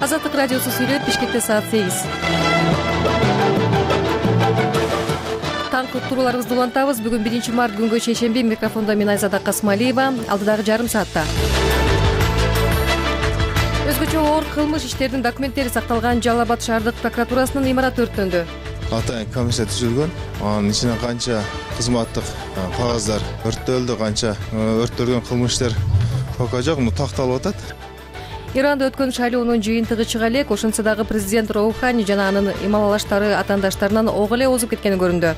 Азаттык радиосу сүйлөйт. Бишкекте саат 8. Таңкы уктурууларыбызды улантабыз. Бүгүн 1 март күнгө шейшемби. Микрофондо мен Айзада Касмалиева. Алдыдагы жарым саатта өзгөчө оор кылмыш иштеринин документтери сакталган Жалал Абад шаардык прокуратурасынын имараты өрттөндү. Атайын комиссия түзүлгөн. Анын ичинен канча кызматтык кагаздар өрттөлдү, канча өрттөлгөн кылмыштар пока жок, такталып атат. Иранда өткөн шайлоонун жыйынтыгы чыга элек, ошентсе дагы президент Роухани жана анын ималалаштары атаандаштарынан ого эле озуп кеткени көрүндү.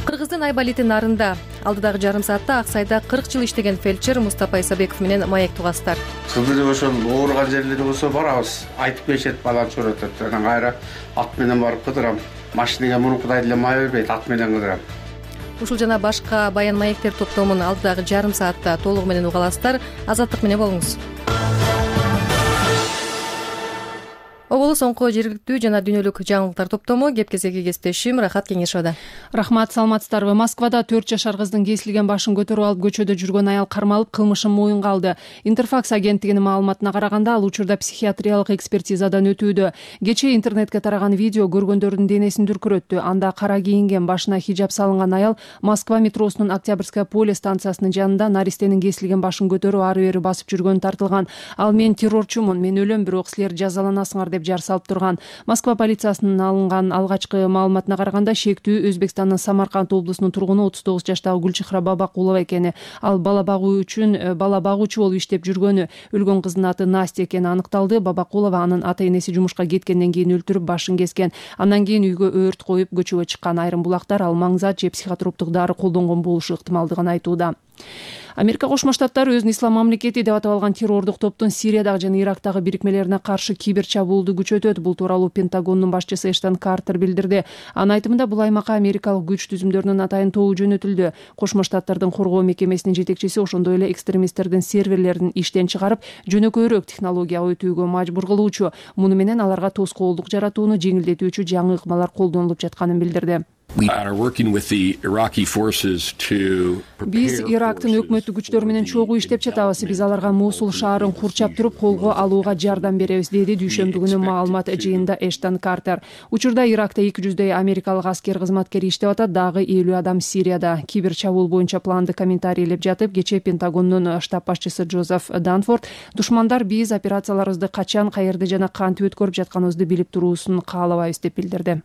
Кыргыздын Айболит нарында алдыдагы жарым саатта Ак Сайда 40 жыл иштеген фельдшер Мустапа Исабеков менен маек тугастар. Кылдыр ошол ооруган жерлери болсо барабыз, айтып беришет, баланы чөөрөтөт. Анан кайра ат менен барып кыдырам. Машинеге мурункудай эле май бербейт, ат менен кыдырам. Ушул жана башка баян маектер топтомун алдыдагы жарым саатта толугу менен уга аласыздар. Азаттык менен болуңуз. Оболу соңку жергиликтүү жана дүйнөлүк жаңылыктар топтому кеп-кезеги кесиптешим Рахат Кеңешова. Рахмат, саламатсыздарбы? Москвада 4 жашар кыздын кесилген башын көтөрүп алып көчөдө жүргөн аял кармалып, кылмышын моюнга алды. Интерфакс агенттигинин маалыматына караганда, ал учурда психиатриялык экспертизадан өтүүдө. Кечээ интернетке тараган видео көргөндөрдүн денесин дүркүрөттү. Анда кара кийинген, башына хиджаб салынган аял Москва метросунун Октябрьская поле станциясынын жанында наристенин кесилген башын көтөрүп ары-бери басып жүргөнү тартылган. Ал мен террорчумун, мен өлөм, бирок силер жазаланасыңар деп жар салып турган. Москва полициясынын алынган алгачкы маалыматына караганда, шектүү Өзбекстандын Самарканд облусунун тургуну 39 жаштагы Гүлчехра Бабакулова экени. Ал бала багуучу болуп иштеп жүргөнү. Өлгөн кыздын аты Настя экени аныкталды. Бабакулова анын ата-энеси жумушка кеткенден кийин өлтүрүп, башын кескен. Андан кийин үйгө өрт коюп көчөгө чыккан. Айрым булактар ал маңзат же психотроптук дары колдонгон болушу ыктымалдыгын айтууда. Америка Кошмо Штаттары өзүн ислам мамлекети деп атап алган террордук топтун Сириядагы жана Ирактагы бирикмелерине каршы кибер чабуулду күчөтөт. Бул тууралуу Пентагондун башчысы Эштон Картер билдирди. Анын айтымында, бул аймакка америкалык күч түзүмдөрүнүн атайын тобу жөнөтүлдү. Кошмо Штаттардын коргоо мекемесинин жетекчиси ошондой эле экстремисттердин серверлерин иштен чыгарып, жөнөкөйрөөк технологияга өтүүгө мажбур кылуучу. Муну менен аларга тоскоолдук жаратууну жеңилдетүүчү жаңы ыкмалар колдонулуп жатканын билдирди. Биз Ирактын өкмөттүк күчтөрү менен чогуу иштеп жатабыз. Биз аларга Мосул шаарын курчап туруп, колго алууга жардам беребиз, деди дүйшөмбү күнү маалымат жыйынында Эштон Картер. Учурда Иракта 200 америкалык аскер кызматкери иштеп атат, дагы 50 адам Сирияда. Кибер чабуул боюнча планды комментарийлеп жатып, кечээ Пентагондун штаб башчысы Джозеф Данфорд душмандар биз операцияларыбызды качан, каерде жана кантип өткөрүп жатканыбызды билип туруусун каалабайбыз деп билдирди.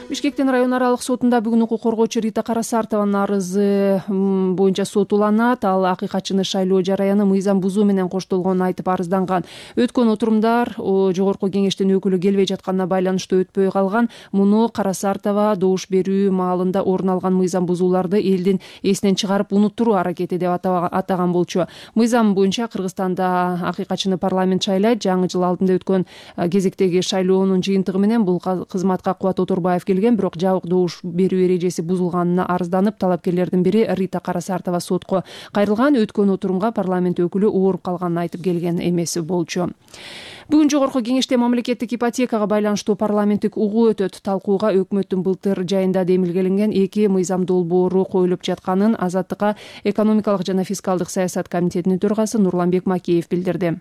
Бишкектин район аралык сотунда бүгүн укук коргоочу Рита Карасартованын арызы боюнча сот уланат. Ал акыйкатчыны шайлоо жараяны мыйзам бузуу менен коштолгонун айтып арыздан. Өткөн отурумдар жогорку кеңештин өкүлү келбей жатканына байланыштуу өтпөй калган. Муну Карасартова добуш берүү маалында орун алган мыйзам бузууларды элдин эсинен чыгарып унуттуруу аракети деп атаган болчу. Мыйзам боюнча Кыргызстанда акыйкатчыны парламент шайлайт. Жаңы жыл алдында өткөн кезектеги шайлоонун жыйынтыгы менен бул кызматка Кубат Оторбаев бирок жабык добуш берүү эрежеси бузулганына арызданып, талапкерлердин бири Рита Карасартова сотко кайрылган. Өткөн отурумга парламент өкүлү ооруп калганын айтып келген эмес болчу. Бүгүн жогорку кеңеште мамлекеттик ипотекага байланыштуу парламенттик угуу өтөт. Талкууга өкмөттүн былтыр жайында демилгеленген 2 мыйзам долбоору коюлуп жатканын Азаттыкка экономикалык жана фискалдык саясат комитетинин төрагасы Нурланбек Макеев билдирди.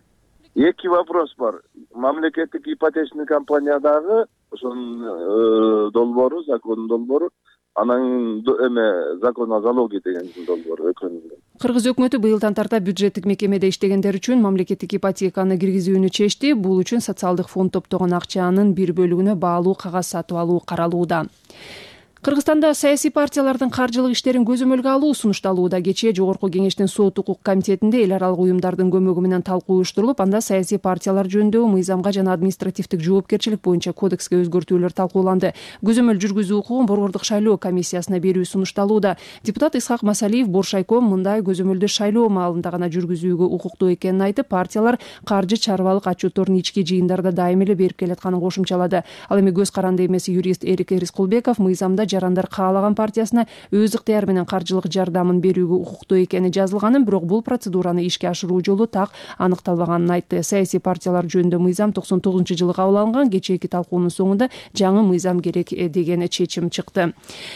2 вопрос бар. Мамлекеттик ипотечный компаниядагы ошонун долбоору, закондун долбоору, анан закон о залоге деген долбоору экөөнүн. Кыргыз өкмөтү быйылдан тарта бюджеттик мекемеде иштегендер үчүн мамлекеттик ипотеканы киргизүүнү чечти. Бул үчүн социалдык фонд топтогон акчанын бир бөлүгүнө баалуу кагаз сатып алуу каралууда. Кыргызстанда саясий партиялардын каржылык иштерин көзөмөлгө алуу сунушталууда. Кечээ жогорку кеңештин сот укук комитетинде эл аралык уюмдардын көмөгү менен талкуу уюштурулуп, анда саясий партиялар жөнүндөгү мыйзамга жана административдик жоопкерчилик боюнча кодекске өзгөртүүлөр талкууланды. Көзөмөл жүргүзүү укугун Борбордук шайлоо комиссиясына берүү сунушталууда. Депутат Исхак Масалиев Боршайком мындай көзөмөлдү шайлоо маалында гана жүргүзүүгө укуктуу экенин айтып, партиялар каржы чарбалык отчетторун ички жыйындарда дайым эле берип келатканын кошумчалады. Ал эми көз каранды эмес юрист Эрик Эрискулбеков мыйзамда жарандар каалаган партиясына өз ыктыяры менен каржылык жардамын берүүгө укуктуу экени жазылганын, бирок бул процедураны ишке ашыруу жолу так аныкталбаганын айтты. Саясий партиялар жөнүндө мыйзам 99-жылы кабыл алынган. Кечээки талкуунун соңунда жаңы мыйзам керек деген чечим чыкты.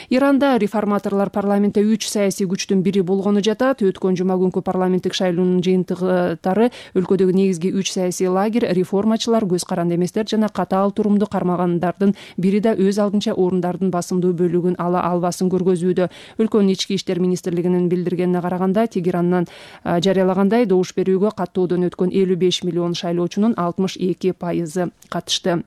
Иранда реформаторлор парламентте 3 саясий күчтүн бири болгону жатат. Өткөн жума күнкү парламенттик шайлоонун жыйынтыгы өлкөдөгү негизги 3 саясий лагерь реформачылар, көз каранды эместер жана катаал турумду кармагандардын бири да өз алдынча орундардын басымдуу бөлүгүн ала албасын көргөзүүдө. Өлкөнүн ички иштер министрлигинин билдиргенине караганда, Тегераннан жарыялагандай добуш берүүгө каттоодон өткөн 55 миллион шайлоочунун 62% катышты.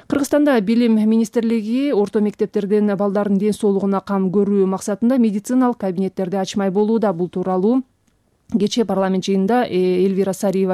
Кыргызстанда Билим министрлиги орто мектептерден балдардын ден соолугуна кам көрүү максатында медициналык кабинеттерди ачмай болууда. Бул тууралуу кечээ парламент жыйынында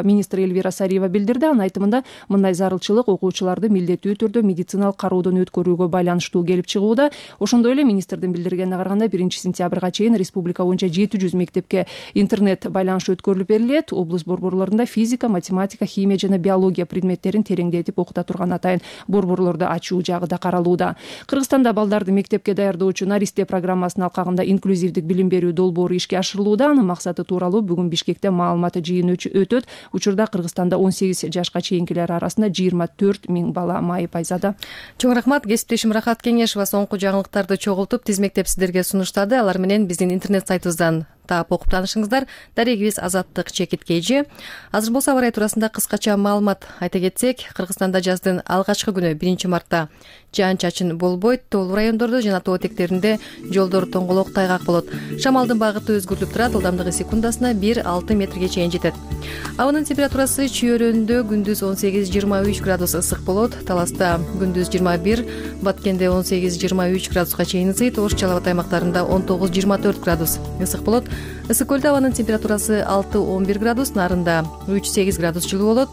министр Эльвира Сариева билдирди. Анын айтымында, мындай зарылчылык окуучуларды милдеттүү түрдө медициналык кароодон өткөрүүгө байланыштуу келип чыгууда. Ошондой эле министрдин билдиргенине караганда 1-сентябрга чейин республика боюнча 700 мектепке интернет байланыш өткөрүлүп берилет. Облус борборлорунда физика, математика, химия жана биология предметтерин тереңдетип окута турган атайын борборлорду ачуу жагы да каралууда. Кыргызстанда балдарды мектепке даярдоочу Наристе программасынын алкагында инклюзивдик билим берүү долбоору ишке ашырылууда. Анын максаты тууралуу бүгүн Бишкекте маалымат жыйыны өтөт. Учурда Кыргызстанда 18 жашка чейинкилер арасында 24 000 бала майып айзада. Чоң рахмат. Кесиптешим Рахат Кеңешова соңку жаңылыктарды чогултуп тизмектеп сиздерге сунуштады. Алар менен биздин интернет сайтыбыздан таап окуп таанышыңыздар. Дарегибиз Азаттык Чекиткейжи. Азыр болсо аба ырайы туурасында кыскача маалымат айта кетсек, Кыргызстанда жаздын алгачкы күнү 1-мартта жаан-чачын болбойт. Тоолуу райондордо жана тоо этектеринде жолдор тоңголок, тайгак болот. Шамалдын багыты өзгөрүлүп турат. Ылдамдыгы секундасына 1-6 метрге чейин жетет. Абанын температурасы Чүйөрөндө күндүз 18-23 градус ысык болот. Таласта күндүз 21, Баткенде 18-23 градуска чейин ысыйт. Ош Чал Абад аймактарында 19-24 градус ысык болот. Ысык көлдө абанын температурасы 6-11 градус, Нарында 3-8 градус жылуу болот.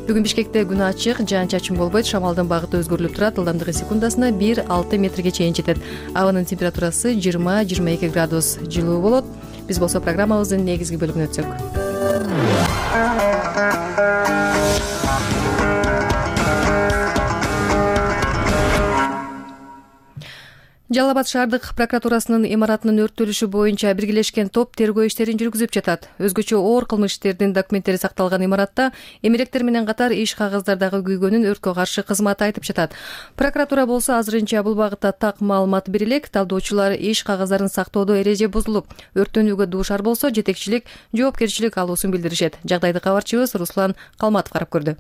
Бүгүн Бишкекте күн ачык, жаан-чачын болбойт. Шамалдын багыты өзгөрүлүп турат. Ылдамдыгы секундасына 1-6 метрге чейин жетет. Абанын температурасы 20-22 градус жылуу болот. Биз болсо программабыздын негизги бөлүгүнө өтсөк. Жалал Абад шаардык прокуратурасынын имаратынын өрттөлүшү боюнча биргелешкен топ тергөө иштерин жүргүзүп жатат. Өзгөчө оор кылмыш иштердин документтери сакталган имаратта эмеректер менен катар иш кагаздардагы күйгөнүн өрткө каршы кызматы айтып жатат. Прокуратура болсо азырынча бул багытта так маалымат бере элек. Талдоочулар иш кагаздарын сактоодо эреже бузулуп, өрттөнүүгө дуушар болсо жетекчилик жоопкерчилик алуусун билдиришет. Жагдайды кабарчыбыз Руслан Калматов карап көрдү.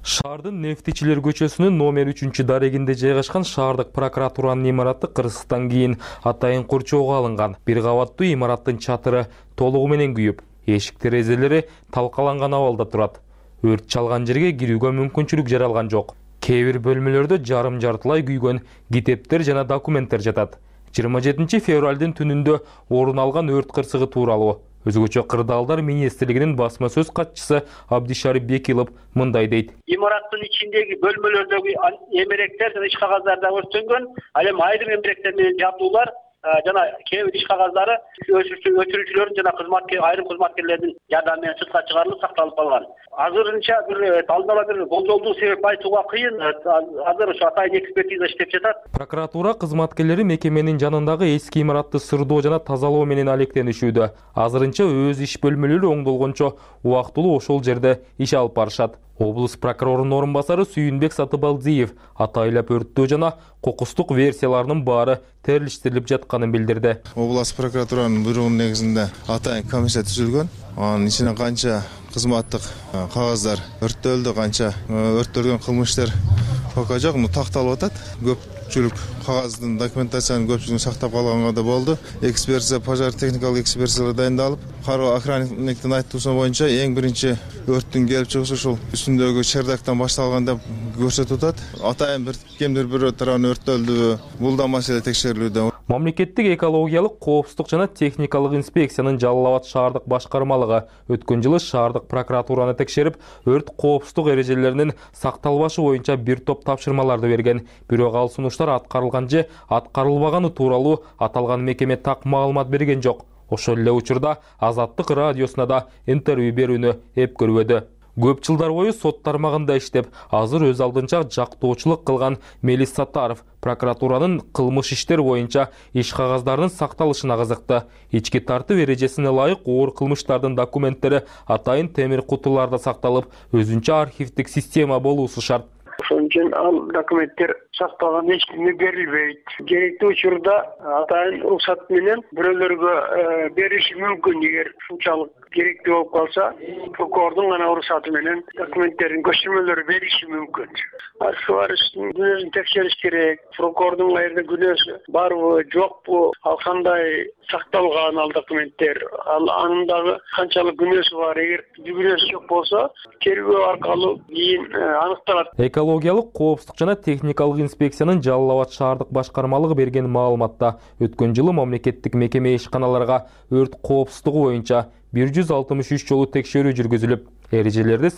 Шаардын Нефтичилер көчөсүнүн номер 3 дарегинде жайгашкан шаардык прокуратуранын имараты кырсыктан кийин атайын корчоого алынган. Бир кабаттуу имараттын чатыры толугу менен күйүп, эшик терезелери талкаланган абалда турат. Өрт чалган жерге кирүүгө мүмкүнчүлүк жаралган жок. Кээ бир бөлмөлөрдө жарым-жартылай күйгөн китептер жана документтер жатат. 27 февралдын түнүндө орун алган өрт кырсыгы тууралуу Өзгөчө кырдаалдар министрлигинин басма сөз катчысы Абдишарип Бекилов мындай дейт. Имараттын ичиндеги бөлмөлөрдөгү эмеректер жана иш кагаздарда өрттөнгөн, ал эми айрым эмеректер менен жабдуулар жана кээ бир иш кагаздары өчүрүүчүлөрдүн жана айрым кызматкерлердин жардамы менен сыртка чыгарылып сакталып калган. Азырынча алдын ала бир болжолдуу себеп айтууга кыйын. Азыр ошо атайын экспертиза иштеп жатат. Прокуратура кызматкерлери мекеменин жанындагы эски имаратты сырдоо жана тазалоо менен алектенишүүдө. Азырынча өз иш бөлмөлөрү оңдолгончо убактылуу ошол жерде иш алып барышат. Облус прокурорунун орун басары Сүйүнбек Сатыбалдиев атайлап өрттөө жана кокустук версияларынын баары терилиштирилип жатканын билдирди. Облус прокуратуранын буйругунун негизинде атайын комиссия түзүлгөн. Анын ичинен канча кызматтык кагаздар өрттөлдү, канча өрттөлгөн кылмыштар пока жок, такталып атат. Көпчүлүк кагаздын документациянын көпчүлүгүн сактап калганга да болду. Экспертиза, пожар техникалык экспертизалар дайындалып, кароо охранниктин айтуусу боюнча эң биринчи өрттүн келип чыгышы ушул үстүндөгү чердактан башталган деп көрсөтүп атат. Атайын бир кимдир бирөө тарабынан өрттөлдү. Бул да маселе текшерилүүдө. Мамлекеттик экологиялык коопсуздук жана техникалык инспекциянын Жалал Абад шаардык башкармалыгы өткөн жылы шаардык прокуратураны текшерип, өрт коопсуздук эрежелеринин сакталбашы боюнча бир топ тапшырмаларды берген. Бирок ал сунуштар аткарылган же аткарылбаганы тууралуу аталган мекеме так маалымат берген жок. Ошол эле учурда Азаттык радиосуна да интервью берүүнү эп көрбөдү. Көп жылдар бою сот тармагында иштеп, азыр өз алдынча жактоочулук кылган Мелис Саттаров прокуратуранын кылмыш иштер боюнча иш кагаздарынын сакталышына кызыкты. Ички тартып эрежесине ылайык оор кылмыштардын документтери атайын темир кутуларда сакталып, өзүнчө архивдик система болуусу шарт. Ошон үчүн ал документтер сакталган эч кимге берилбейт. Керектүү учурда атайын уруксат менен бирөөлөргө бериши мүмкүн. Эгер ушунчалык керектүү болуп калса, прокурордун гана уруксаты менен документтердин көчүрмөлөрү бериши мүмкүн. Архивариштин күнөөсүн текшериш керек. Прокурордун кайерде күнөөсү барбы, жокпу, ал кандай сакталган ал документтер, анын дагы канчалык күнөөсү бар. Эгер күнөөсү жок болсо, тергөө аркылуу кийин аныкталат. Экологиялык коопсуздук жана техникалык инспекциянын Жалал Абад шаардык башкармалыгы берген маалыматта өткөн жылы мамлекеттик мекеме ишканаларга өрт коопсуздугу боюнча 163 жолу текшерүү жүргүзүлүп, эрежелердин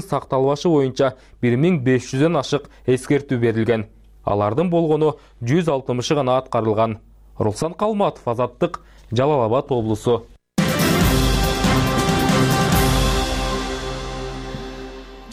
сакталбашы боюнча 1500дөн ашык эскертүү берилген. Алардын болгону 160 гана аткарылган. Руслан Калматов, Азаттык, Жалал Абад облусу.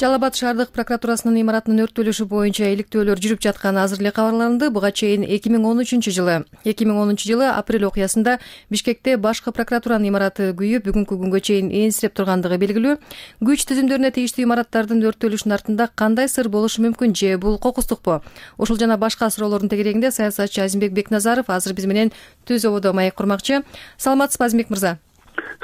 Жалал Абад шаардык прокуратурасынын имаратынын өрттөлүшү боюнча иликтөөлөр жүрүп жатканы азыр эле кабарланды. Буга чейин 2013 жылы апрель окуясында Бишкекте башкы прокуратуранын имараты күйүп, бүгүнкү күнгө чейин энсиреп тургандыгы белгилүү. Күч түзүмдөрүнө тийиштүү имараттардын өрттөлүшүнүн артында кандай сыр болушу мүмкүн, же бул кокустукпу? Ушул жана башка суроолордун тегерегинде саясатчы Азимбек Бекназаров азыр биз менен түз ободо маек курмакчы. Саламатсызбы, Азимбек мырза?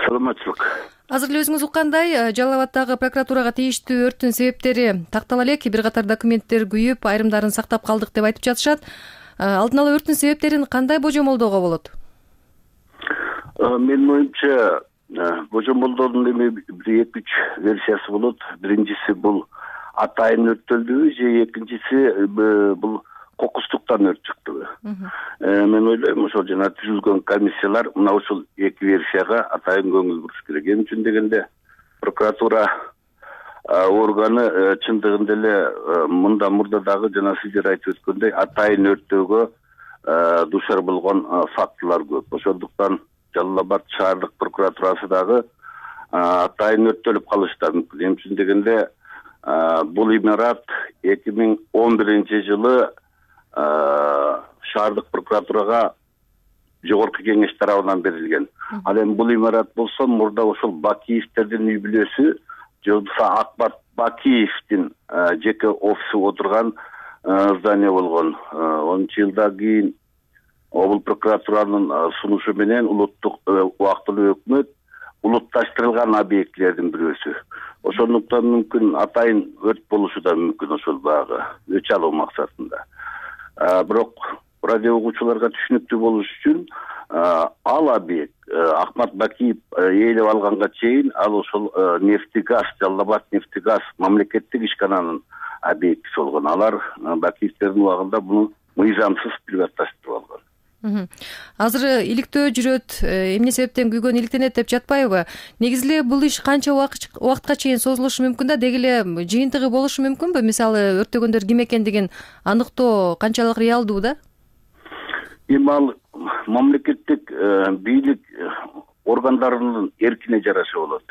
Саламатчылык. Азыр эле өзүңүз уккандай, Жалал Абаддагы прокуратурага тийиштүү өрттүн себептери тактала элек, бир катар документтер күйүп, айрымдарын сактап калдык деп айтып жатышат. Алдын ала өрттүн себептерин кандай божомолдоого болот? Менин оюмча, божомолдоодун эми бир 2-3 версиясы болот. Биринчиси бул атайын өрттөлдүбү, же экинчиси бул кокустуктан өрт чыктыбы. Мен ойлойм, ошол жана түзүлгөн комиссиялар мына ушул эки версияга атайын көңүл буруш керек. Эмне үчүн дегенде, прокуратура органы чындыгында эле мурда дагы жана сиздер айтып өткөндөй атайын өрттөөгө дуушар болгон фактылар көп. Ошондуктан Жалал Абад шаардык прокуратурасы дагы атайын өрттөлүп калышы да мүмкүн. Эмне үчүн дегенде, бул имарат 2011 жылы шаардык прокуратурага жогорку кеңеш тарабынан берилген. Ал эми бул имарат болсо мурда ошол Бакиевтердин үй бүлөсү, же болбосо Акбар Бакиевдин жеке офиси отурган здание болгон. 10-жылдан кийин облус прокуратуранын сунушу менен улуттук убактылуу өкмөт улутташтырылган объектилердин бирөөсү. Ошондуктан мүмкүн атайын өрт болушу да мүмкүн ошол багы өч алуу максатында. Бирок радио угуучуларга түшүнүктүү болуш үчүн ал объект Ахмат Бакиев ээлеп алганга чейин ал ошол нефтегаз, Жалал Абад нефтегаз мамлекеттик ишкананын объектиси болгон. Алар Бакиевтердин убагында буну мыйзамсыз приватташтырып алган. Азыр иликтөө жүрөт, эмне себептен күйгөн иликтенет деп жатпайбы? Негизи эле бул иш канча убакытка чейин созулушу мүмкүн да, деги эле жыйынтыгы болушу мүмкүнбү? Мисалы, өрттөгөндөр ким экендигин аныктоо канчалык реалдуу да? Эми ал мамлекеттик бийлик органдарынын эркине жараша болот.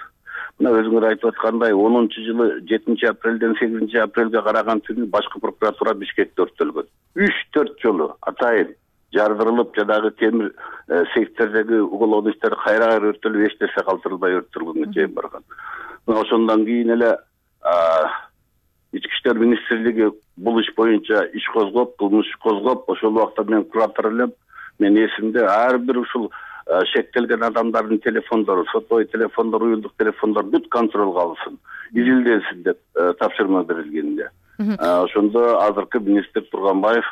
Мына өзүңөр айтып аткандай, 10-жылы 7-апрелден 8-апрелге караган түнү башкы прокуратура Бишкекте өрттөлгөн. 3-4 жолу атайын жардырылып, жадагы темир сейфтердеги уголовный иштер кайра өрттөлүп, эч нерсе калтырылбай өрттөлгөнгө чейин барган. Ошондон кийин эле Ички иштер министрлиги бул иш боюнча иш козгоп, кылмыш козгоп, ошол убакта мен куратор элем. Мен эсимде ар бир ушул шектелген адамдардын телефондору, сотовой телефондор, уюлдук телефондор бүт контролго алынсын, изилденсин деп тапшырма берилгенде. Ошондо азыркы министр Турганбаев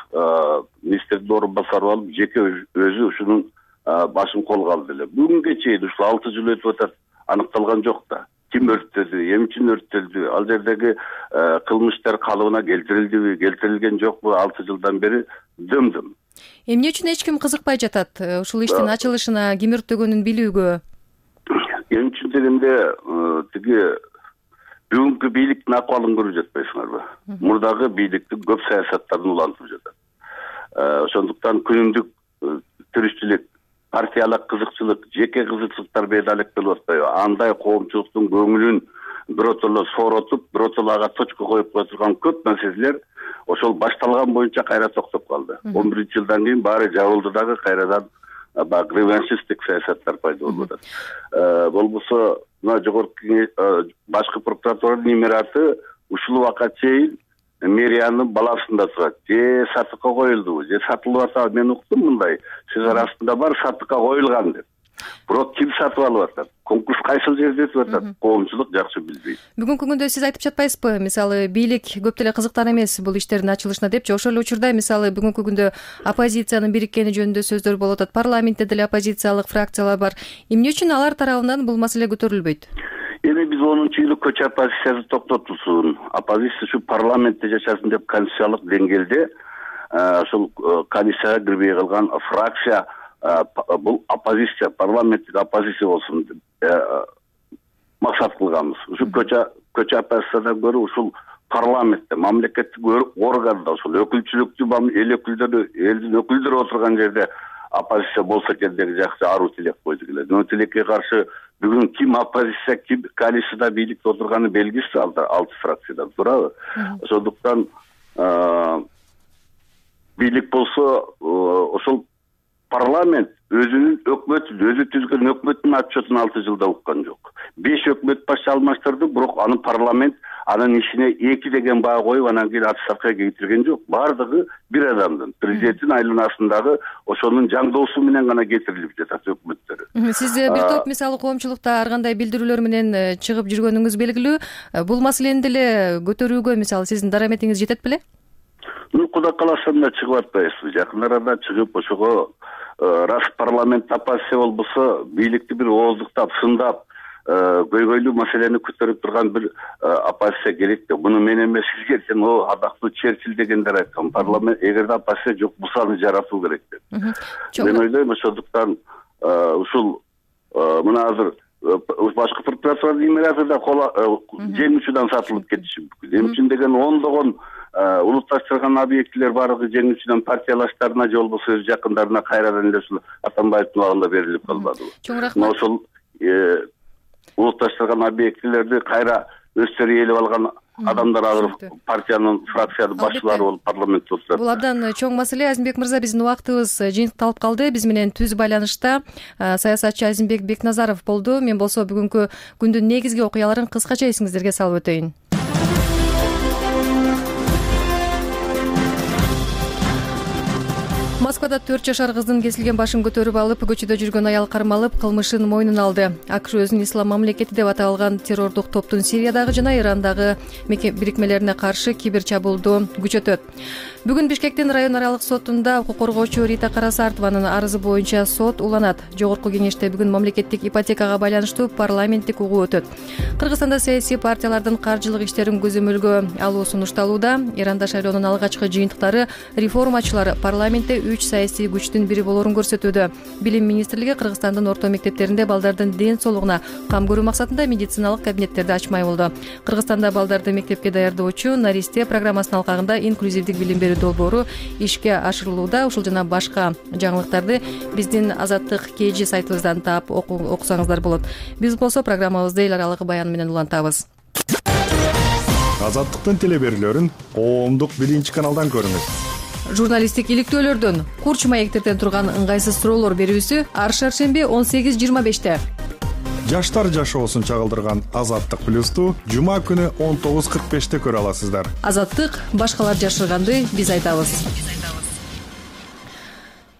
министрдин орун басары алып, жеке өзү ушунун башын колго алды эле. Бүгүнгө чейин ушул 6 жыл өтүп атат, аныкталган жок да. Ким өрттөдү, эмне үчүн өрттөлдү, ал жердеги кылмыштар калыбына келтирилдиби, келтирилген жокпу, 6 жылдан бери дым-дым. Эмне үчүн эч ким кызыкпай жатат ушул иштин ачылышына, ким өрттөгөнүн билүүгө? Эмне үчүн дегенде, тиги бүгүнкү бийликтин акыбалын көрүп жатпайсыңарбы? Мурдагы бийликтин көп саясаттарын улантып жатат. Ошондуктан күнүмдүк тиричилик, партиялык кызыкчылык, жеке кызыкчылыктар бедалек болуп атпайбы? Андай коомчулуктун көңүлүн биротоло сооротуп, биротоло ага точка коюп кое турган көп маселелер ошол башталган боюнча кайра токтоп калды. 11-жылдан кийин баары жабылды дагы кайрадан баягы реваншисттик саясаттар пайда болуп атат. Болбосо мына жогорку башкы прокуратуранын имараты ушул убакка чейин мэриянын баласында турат. Же сатыкка коюлдубу, же сатылып атабы? Мен уктум мындай сөз арасында бар сатыкка коюлган деп. Бирок ким сатып алып атат? Конкурс кайсыл жерде өтүп атат? Коомчулук жакшы билбейт. Бүгүнкү күндө сиз айтып жатпайсызбы? Мисалы, бийлик көп деле кызыктар эмес бул иштердин ачылышына депчи. Ошол эле учурда мисалы бүгүнкү күндө оппозициянын бириккени жөнүндө сөздөр болуп атат. Парламентте деле оппозициялык фракциялар бар. Эмне үчүн алар тарабынан бул маселе көтөрүлбөйт? Эми биз 10-жылдык көчө оппозициясы токтотулсун, оппозиция ушу парламентте жашасын деп конституциялык деңгээлде ошол комиссияга кирбей калган фракция бул оппозиция, парламенттик оппозиция болсун деп максат кылганбыз. Ушу көчө оппозициядан көрө ушул парламентте, мамлекеттик органда, ошол өкүлчүлүктү эл өкүлдөрү, элдин өкүлдөрү отурган жерде оппозиция болсо экен деген жакшы аруу тилек койду келе. Мына тилекке каршы бүгүн ким оппозиция, ким коалицияда бийликте отурганы белгисиз, алты фракциядан турабы. Ошондуктан бийлик болсо ошол парламент өзүнүн өкмөтүн, өзү түзгөн өкмөттүн отчетун 6 жылда уккан жок. 5 өкмөт баш алмаштырды, бирок аны парламент анын ишине 2 деген баа коюп, анан кийин отставкага кетирген жок. Бардыгы бир адамдын, президенттин айланасындагы ошонун жаңдоосу менен гана кетирилип жатат өкмөттөр. Сиз бир топ мисалы коомчулукта ар кандай билдирүүлөр менен чыгып жүргөнүңүз белгилүү. Бул маселени деле көтөрүүгө мисалы сиздин дараметиңиз жетет беле? Кудай кааласа да чыгып атпайбызбы. Жакын арада чыгып ошого раз парламент оппозиция болбосо бийликти бир ооздуктап, сындап, көйгөйлүү маселени көтөрүп турган бир оппозиция керек деп. Муну мен эмес, сизге сен адактуу Черчилль дегендер айткан. Парламент эгерде оппозиция жок болсо аны жаратуу керек деп. Мен ойлойм ошондуктан ушул мына азыр башкы прокуратуранын имараты да жең учудан сатылып кетиши мүмкүн. Эмне үчүн деген ондогон улутташтырган объектилер баардыгы жең учудан партиялаштарына же болбосо өз жакындарына кайрадан эле ушул Атамбаевдин убагында берилип калбадыбы? Чоң рахмат. Ошол улутташтырган объектилерди кайра өздөрү ээлеп алган адамдар азыр партиянын фракциянын башчылары болуп парламентте отурат. Бул абдан чоң маселе. Азимбек мырза, биздин убактыбыз жыйынтыкталып калды. Биз менен түз байланышта саясатчы Азимбек Бекназаров болду. Мен болсо бүгүнкү күндүн негизги окуяларын кыскача эсиңиздерге салып өтөйүн. Москвада 4 жашар кыздын кесилген башын көтөрүп алып, көчөдө жүргөн аял кармалып, кылмышын мойнуна алды. АКШ өзүн ислам мамлекети деп аталган террордук топтун Сириядагы жана Ирандагы бирикмелерине каршы кибер чабуулду күчөтөт. Бүгүн Бишкектин район аралык сотунда укук коргоочу Рита Карасартованын арызы боюнча сот уланат. Жогорку кеңеште бүгүн мамлекеттик ипотекага байланыштуу парламенттик угуу өтөт. Кыргызстанда саясий партиялардын каржылык иштерин көзөмөлгө алуу сунушталууда. Иранда шайлоонун алгачкы жыйынтыктары реформачылар парламентте 3 саясий күчтүн бири болорун көрсөтүүдө. Билим министрлиги Кыргызстандын орто мектептеринде балдардын ден соолугуна кам көрүү максатында медициналык кабинеттерди ачмай болду. Кыргызстанда балдарды мектепке даярдоочу Наристе программасынын алкагында инклюзивдик билим берүү долбоору ишке ашырылууда. Ушул жана башка жаңылыктарды биздин Азаттык KG сайтыбыздан таап окусаңыздар болот. Биз болсо программабызды эл аралык баян менен улантабыз. Азаттыктын телеберүүлөрүн коомдук биринчи каналдан көрүңүз. Журналисттик иликтөөлөрдөн курч маектерден турган ыңгайсыз суроолор берүүсү ар шаршемби 18:25-те. Жаштар жашоосун чагылдырган Азаттык плюсту жума күнү 19:45-те көрө аласыздар. Азаттык башкалар жашырганды биз айтабыз.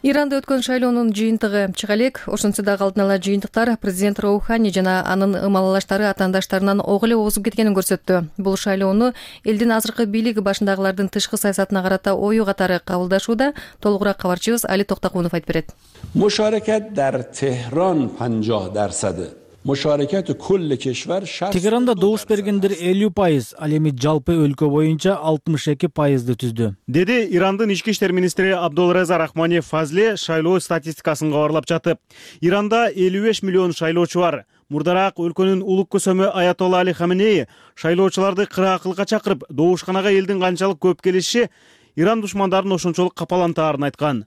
Иранда өткөн шайлоонун жыйынтыгы чыга элек. Ошентсе дагы алдын ала жыйынтыктар президент Роухани жана анын ымалалаштары атаандаштарынан ого эле озуп кеткенин көрсөттү. Бул шайлоону элдин азыркы бийлик башындагылардын тышкы саясатына карата ою катары кабылдашууда. Толугураак кабарчыбыз Али Токтакунов айтып берет. Мушаракат дар Техран 50%. Тегеранда добуш бергендер 50%, ал эми жалпы өлкө боюнча 62%ды түздү. Деди Ирандын ички иштер министри Абдулреза Рахмани Фазли шайлоо статистикасын кабарлап жатып. Иранда 55 миллион шайлоочу бар. Мурдараак өлкөнүн улук көсөмү Аятолла Али Хаменеи шайлоочуларды кыраакылыкка чакырып, добушканага элдин канчалык көп келиши Иран душмандарын ошончолук капалантаарын айткан.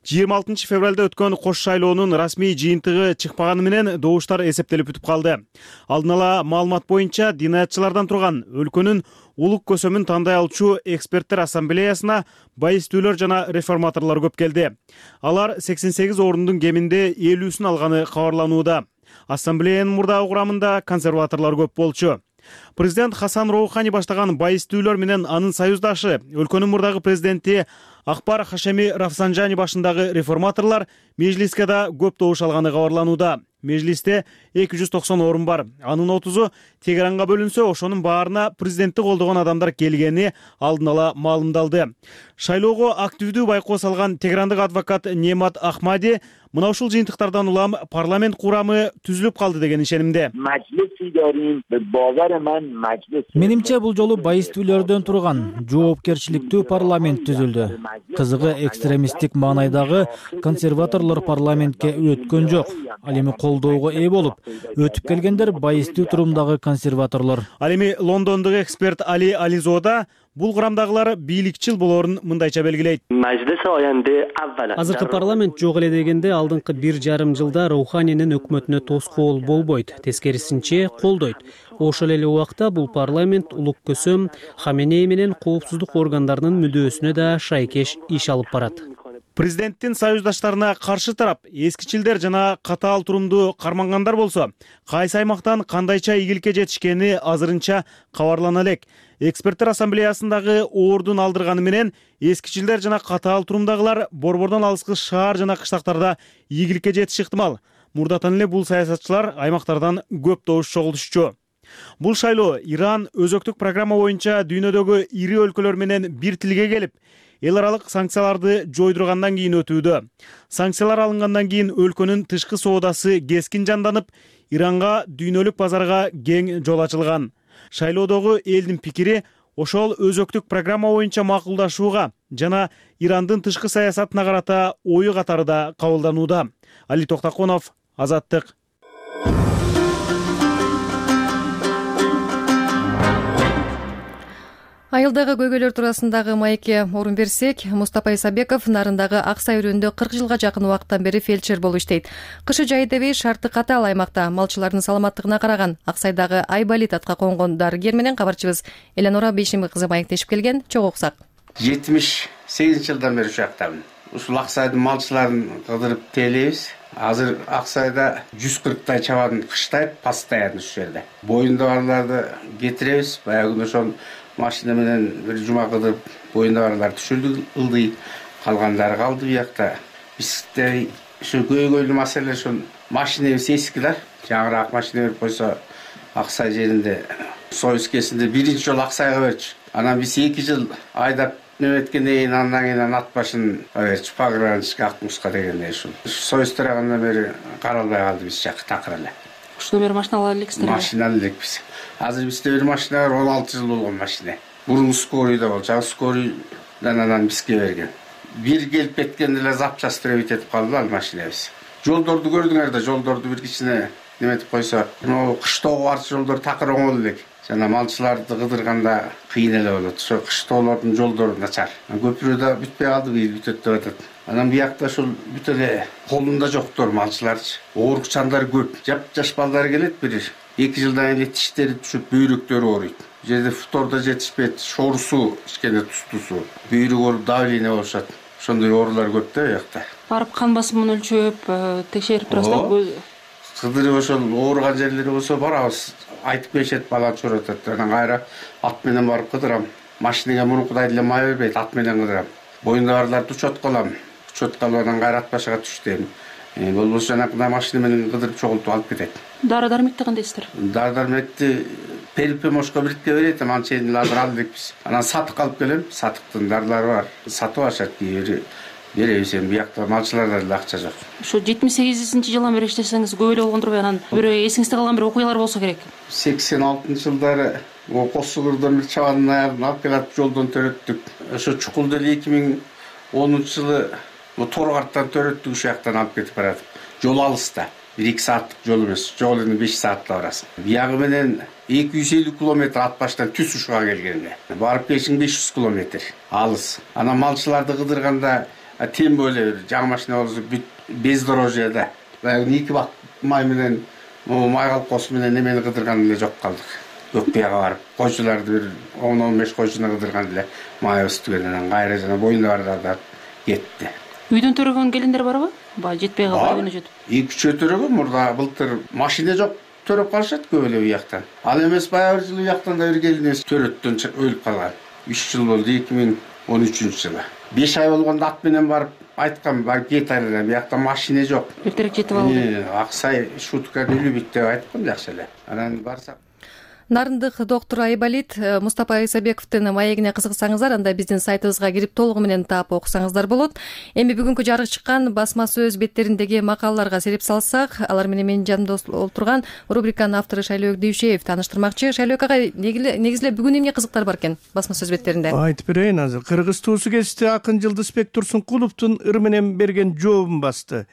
26 февралда өткөн кош шайлоонун расмий жыйынтыгы чыкпаганы менен добуштар эсептелип бүтүп калды. Алдын ала маалымат боюнча динаятчылардан турган өлкөнүн улук көсөмүн тандай алчу эксперттер ассамблеясына байыстүүлөр жана реформаторлор көп келди. Алар 88 ордундун кеминде 50-сүн алганы кабарланууда. Ассамблеянын мурдагы курамында консерваторлор көп болчу. Президент Хасан Роухани баштаган байыстүүлөр менен анын союздашы өлкөнүн мурдагы президенти Акбар Хашеми Рафсанжани башындагы реформаторлор межлиске да көп добуш алганы кабарланууда. Межлисте 290 орун бар. Анын 30-у Тегеранга бөлүнсө, ошонун баарына президентти колдогон адамдар келгени алдын ала маалымдалды. Шайлоого активдүү байкоо салган тегерандык адвокат Немат Ахмади мына ушул жыйынтыктардан улам парламент курамы түзүлүп калды деген ишенимде. Менимче бул жолу байыстүүлөрдөн турган жоопкерчиликтүү парламент түзүлдү. Кызыгы экстремисттик маанайдагы консерваторлор парламентке өткөн жок. Ал эми колдоого ээ болуп, өтүп келгендер байыстуу турумдагы консерваторлор. Ал эми Лондондогу эксперт Али Ализода бул курамдагылар бийликчил болоорун мындайча белгилейт. Азыркы парламент жок эле дегенде алдыңкы 1,5 жылда Роуханинин өкмөтүнө тоскоол болбойт, тескерисинче колдойт. Ошол эле убакта бул парламент улук көсөм Хаменеи менен коопсуздук органдарынын мүдөөсүнө да шайкеш иш алып барат. Президенттин союздаштарына каршы тарап эскичилдер жана катаал турумду кармангандар болсо, кайсы аймактан кандайча ийгиликке жетишкени азырынча кабарлана элек. Эксперттер ассамблеясындагы ордун алдырганы менен эскичилдер жана катаал турумдагылар борбордон алыскы шаар жана кыштактарда ийгиликке жетиши ыктымал. Мурдатан эле бул саясатчылар аймактардан көп добуш чогултушчу. Бул шайлоо Иран өзөктүк программа боюнча дүйнөдөгү ири өлкөлөр менен бир тилге келип, эл аралык санкцияларды жойдургандан кийин өтүүдө. Санкциялар алынгандан кийин өлкөнүн тышкы соодасы кескин жанданып, Иранга дүйнөлүк базарга кең жол ачылган. Шайлоодогу элдин пикири ошол өзөктүк программа боюнча макулдашууга жана Ирандын тышкы саясатына карата ою катары да кабылданууда. Али Токтаконов, Азаттык. Айылдагы көйгөйлөр туурасындагы маекке орун берсек, Мустапа Исабеков Нарындагы Ак Сай өрөөнүндө 40 жылга жакын убакыттан бери фельдшер болуп иштейт. Кышы жай дебей шарты катаал аймакта малчылардын саламаттыгына караган Ак Сайдагы Айбалит атка конгон дарыгер менен кабарчыбыз Эленора Бейшими кызы маектешип келген. Чогуу уксак. 78 жылдан бери ушактамын. Ушул Ак Сайдын малчыларын кыдырып тейлейбиз. Азыр Ак Сайда 140 чабан кыштайт постоянно ушул жерде. Боюнда барларды кетиребиз. Баягы ошол машина менен бир жума кыдырып боюнда барлар түшүрдүк, ылдый, калгандары калды биякта. Бизде ушу көйгөйлүү маселе ушул машинебиз эски да. Жаңыраак машина берип койсо Ак Сай жеринде союз кезинде биринчи жолу Ак Сайга берчү. Анан биз 2 жыл айдап неметкенден кийин андан кийин ат башын берчү. Пограничке Акмуска дегенде ушул. Союз тарагандан бери каралбай калды биз жакы такыр эле. Ушуну бери машина ала элексиздер. Машина ала элекпиз. Азыр бизде бир машина бар, 16 жыл болгон машина. Бурун скорыйда болчу, скорыйдан анан бизге берген. Бир келип кеткенде эле запчасты этип калды ал машинабыз. Жолдорду көрдүңөр да, жолдорду бир кичине неметип койсо, мына кыштоого барчу жолдор такыр оңол элек. Жана малчыларды кыдырганда кыйын эле болот. Ошо кыштоолордун жолдору начар. Көпүрө да бүтпөй калды, бийил бүтөт деп атат. Анан биякта ушул бүт эле колунда жоктор малчыларчы. Оорукчандар көп. Жаш балдар келет бир 2 жылдан кийин тиштери түшүп, бүйрөктөрү ооруйт. Бу жерде фторда жетишпейт, шорсу, кичине тустусу, бүйрөк ооруп давление болушат. Ошондой оорулар көп да биякта. Барып кан басымын өлчөп, текшерип турасыздар. Кыдырып ошол ооруган жерлери болсо барабыз, айтып беришет, бала чоротот. Анан кайра ат менен барып кыдырам. Машинеге мурункудай эле май бербейт, ат менен кыдырам. Боюнда барларды учетко алам. Учетко алып анан кайра ат башыга түштүм. Болбосо жанакындай машина менен кыдырып чогултуп алып кетет. Дары-дармекти кандайсыздар? Дары-дармекти Перипемошко бирикке берет, анчейин азыр ал элекпиз. Анан сатык алып келем, сатыктын дарылары бар. Сатып алышат кийбири. Беребиз эми биякта малчыларда деле акча жок. Ушу 78-жылдан бери иштесеңиз көп эле болгондурбу? Анан бирөө эсиңизде калган бир окуялар болсо керек. 86-жылдары Кос Сугурдон бир чабандын аягын алып келип жолдон төрөттүк. Ошо чукулду эле 2010-жылы Торгарттан төрөттүк, ушул жактан алып кетип барат. Жол алыста. 1-2 сааттык жол эмес, жол эми 5 саатта барасың. Биягы менен 250 километр ат баштан түз ушуга келгенде. Барып келишиң 500 километр. Алыс. Анан малчыларды кыдырганда тем более жаңы машина болсо бүт бездорожьеда. Баягы 2 бак май менен май колкосу менен немени кыдырган эле жок калдык. Көкбияга барып, койчуларды бир 10-15 койчуну кыдырган эле май өстүгөнөн кайра жана боюнда бардарды кетти. Үйдөн төрөгөн келиндер барбы? Баягы жетпей калбай күнү жетип. 2-3 төрөгөн мурда былтыр машина жок төрөп калышат көп эле уяктан. Ал эмес баягы жыл уяктан да бир келинебиз төрөттөн өлүп калган. 3 жыл болду, 2013-жылы. 5 ай болгондо ат менен барып айткам, барып кет айран, биякта машина жок. Эртерээк жетип алды. Аксай шутка үлүбүт деп айткам, жакшы эле. Анан барсак Нарындык доктор Айбалит Мустапа Исабековдун маегине кызыксаңыздар, анда биздин сайтыбызга кирип толугу менен таап окусаңыздар болот. Эми бүгүнкү жарык чыккан басма сөз беттериндеги макалаларга сереп салсак, алар менен менин жанымда отурган рубриканын автору Шайлөөк Дүйшеев тааныштырмакчы. Шайлөөк ага, негизи эле бүгүн эмне кызыктар бар экен басма сөз беттеринде? Айтып берейин азыр. Кыргыз туусу кести акын Жылдызбек Турсункуловдун ыр менен берген жообун басты.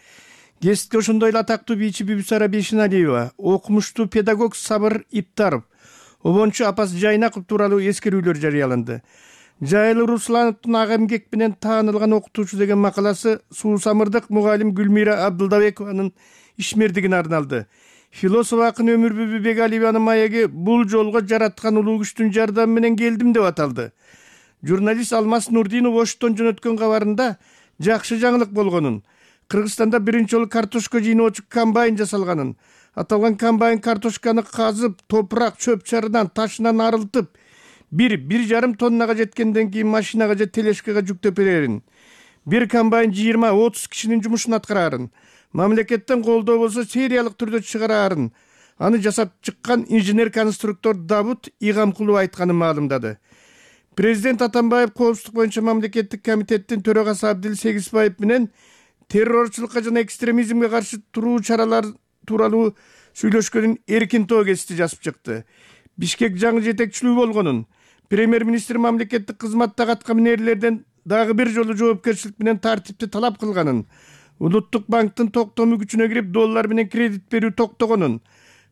Кестке ошондой эле атактуу бийчи Бибисара Бейшеналиева, окумуштуу педагог Сабыр Иптаров, обончу Апас Жайнаков тууралуу эскерүүлөр жарыяланды. Жайлы Руслановдун ага эмгек менен таанылган окутуучу деген макаласы суусамырдык мугалим Гүлмира Абдылдабекованын ишмердигине арналды. Философ акын Өмүрбүбү Бегалиеванын маеги бул жолго жараткан улуу күчтүн жардамы менен келдим деп аталды. Журналист Алмаз Нурдинов Оштон жөнөткөн кабарында жакшы жаңылык болгонун, Кыргызстанда биринчи жолу картошка жыйноочу комбайн жасалганын, аталган комбайн картошканы казып, топурак, чөп чарынан, ташынан арылтып, 1,5 тоннага жеткенден кийин машинага же тележкага жүктөп берерин. Бир комбайн 20-30 кишинин жумушун аткарарын, мамлекеттен колдоо болсо сериялык түрдө чыгарарын. Аны жасап чыккан инженер-конструктор Давут Игамкулов айтканын маалымдады. Президент Атамбаев коопсуздук боюнча мамлекеттик комитеттин төрагасы Абдил Сегизбаев менен террорчулукка жана экстремизмге каршы туруу чаралар тууралуу сүйлөшкөнүн эркин тоо кести жазып чыкты. Бишкек жаңы жетекчилүү болгонун, премьер-министр мамлекеттик кызматтагы аткаминерлерден дагы бир жолу жоопкерчилик менен тартипти талап кылганын, Улуттук банктын токтому күчүнө кирип доллар менен кредит берүү токтогонун,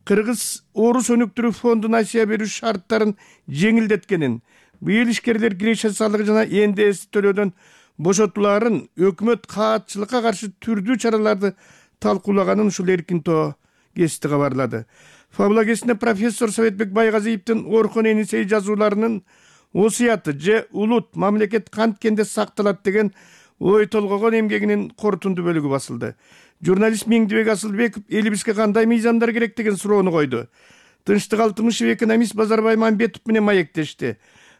Кыргыз Орус өнүктүрүү фондуна Асия берүү шарттарын жеңилдеткенин, быйыл ишкерлер киреше салыгы жана НДС төлөөдөн бошотуларын, өкмөт каатчылыкка каршы түрдүү чараларды талкуулаганын ушул эркин тоо кести кабарлады. Фабула кестинде профессор Советбек Байгазиевдин Орхон Энисей жазууларынын осуяты же улут мамлекет канткенде сакталат деген ой толгогон эмгегинин корутунду бөлүгү басылды. Журналист Меңдибек Асылбеков элибизге кандай мыйзамдар керек деген суроону койду. Тынчтык Алтымышев экономист Базарбай Мамбетов менен маектешти.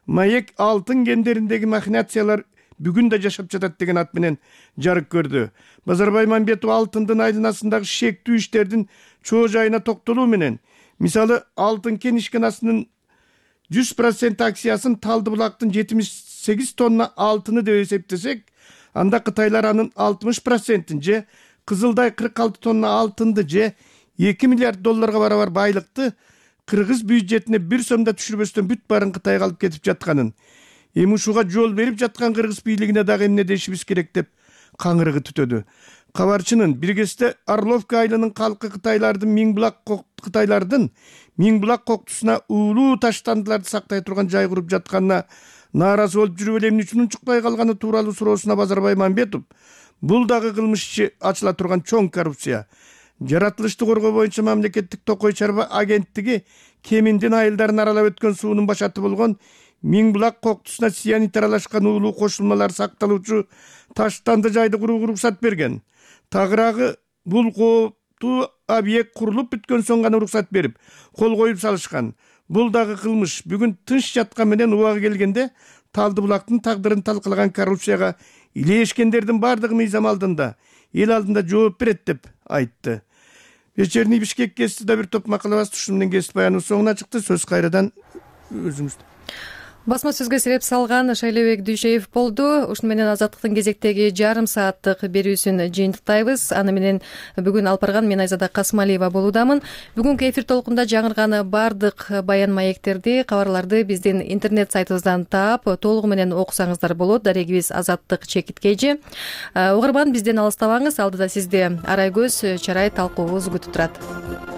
Маек алтын кендериндеги махинациялар бүгүн да жашап жатат деген ат менен жарык көрдү. Базарбай Мамбетов алтындын айланасындагы шектүү иштердин чоо жайына токтолуу менен, мисалы алтын кен ишканасынын 100% акциясын Талды булактын 78 тонна алтыны деп эсептесек, анда кытайлар анын 60%-ин же Кызылдай 46 тонна алтынды же 2 миллиард долларга барабар байлыкты Кыргыз бюджетине бир сом да түшүрбөстөн бүт баарын Кытайга алып кетип жатканын, эми ушуга жол берип жаткан Кыргыз бийлигине дагы эмне дешибиз керек деп каңырыгы түтөдү. Кабарчынын бир кезде Орловка айылынын калкы Кытайлардын Миң булак коктусуна уулуу таштандыларды сактай турган жай куруп жатканына нааразы болуп жүрүп эле эмне үчүн унчукпай калганы тууралуу суроосуна Базарбай Мамбетов, бул дагы кылмыш иши ачыла турган чоң коррупция. Жаратылышты коргоо боюнча мамлекеттик токой чарба агенттиги Кеминдин айылдарын аралап өткөн суунун башаты болгон Миң булак коктусуна цианид аралашкан уулуу кошулмалар сакталуучу таштанды жайды курууга уруксат берген. Тагыраагы бул кооптуу объект курулуп бүткөн соң гана уруксат берип, кол коюп салышкан. Бул дагы кылмыш. Бүгүн тынч жаткан менен убагы келгенде Талды булактын тагдырын талкалаган коррупцияга илешкендердин бардыгы мыйзам алдында, эл алдында жооп берет деп айтты. Вечерний Бишкек кести да бир топ макала басты. Ушуну менен кесип баяныбыз соңуна чыкты. Сөз кайрадан өзүңүздө. басма сөзгө себеп салган Шайлебек Дүйшеев болду. Ушуну менен Азаттыктын кезектеги жарым сааттык берүүсүн жыйынтыктайбыз. Аны менен бүгүн алып барган мен Айзада Касымалиева болуудамын. Бүгүнкү эфир толкунда жаңырган бардык баян маектерди, кабарларды биздин интернет сайтыбыздан таап, толугу менен окусаңыздар болот. Дарегибиз Азаттык _KG. Угарман, бизден алыстабаңыз. Алдыда сизди арай көз, чарай талкуубуз күтүп турат.